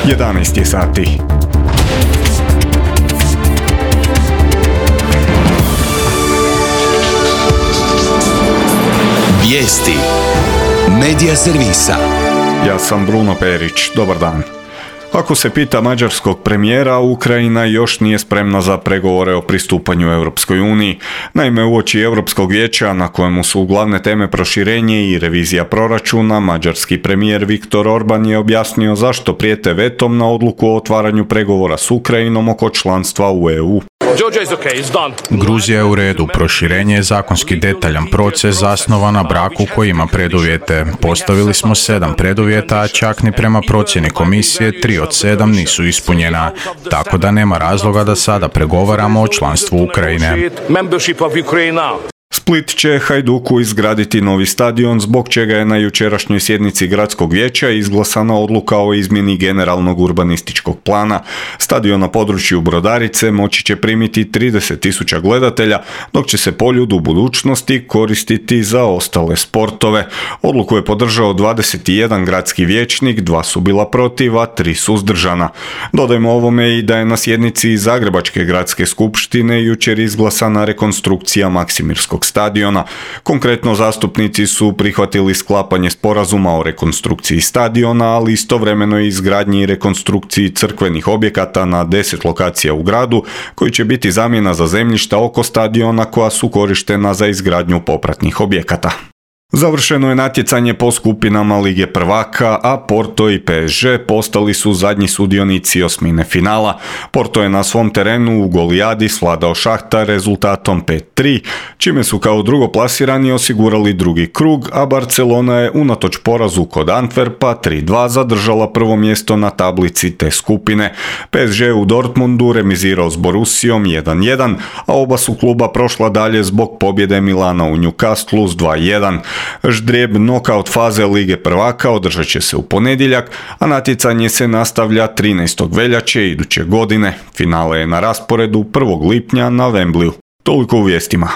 11 je sati. Vijesti Medija servisa. Ja sam Bruno Perić, dobar dan. Ako se pita mađarskog premijera, Ukrajina još nije spremna za pregovore o pristupanju Europskoj uniji. Naime, uoči Europskog vijeća, na kojemu su glavne teme proširenje i revizija proračuna, mađarski premijer Viktor Orban je objasnio zašto prijete vetom na odluku o otvaranju pregovora s Ukrajinom oko članstva u EU. Gruzija je u redu. Proširenje je zakonski detaljan proces zasnovan na braku koji ima preduvjete. Postavili smo 7 preduvjeta, a čak ni prema procjeni komisije 3 od 7 nisu ispunjena. Tako da nema razloga da sada pregovaramo o članstvu Ukrajine. Split će Hajduku izgraditi novi stadion, zbog čega je na jučerašnjoj sjednici gradskog vijeća izglasana odluka o izmjeni generalnog urbanističkog plana. Stadion na području Brodarice moći će primiti 30.000 gledatelja, dok će se Poljud u budućnosti koristiti za ostale sportove. Odluku je podržao 21 gradski vijećnik, 2 su bila protiv, a 3 suzdržana. Dodajmo ovome i da je na sjednici Zagrebačke gradske skupštine jučer izglasana rekonstrukcija Maksimirskog stadiona. Konkretno, zastupnici su prihvatili sklapanje sporazuma o rekonstrukciji stadiona, ali istovremeno i izgradnji i rekonstrukciji crkvenih objekata na 10 lokacija u gradu, koji će biti zamjena za zemljišta oko stadiona koja su korištena za izgradnju popratnih objekata. Završeno je natjecanje po skupinama Lige prvaka, a Porto i PSG postali su zadnji sudionici osmine finala. Porto je na svom terenu u Golijadi svladao Šahtar rezultatom 5-3, čime su kao drugoplasirani osigurali drugi krug, a Barcelona je unatoč porazu kod Antwerpa 3-2 zadržala prvo mjesto na tablici te skupine. PSG u Dortmundu remizirao s Borussijom 1-1, a oba su kluba prošla dalje zbog pobjede Milana u Newcastlu s 2-1. Ždrijeb nokaut faze Lige prvaka održat će se u ponedjeljak, a natjecanje se nastavlja 13. veljače iduće godine. Finale je na rasporedu 1. lipnja na Wembleyu. Toliko u vijestima.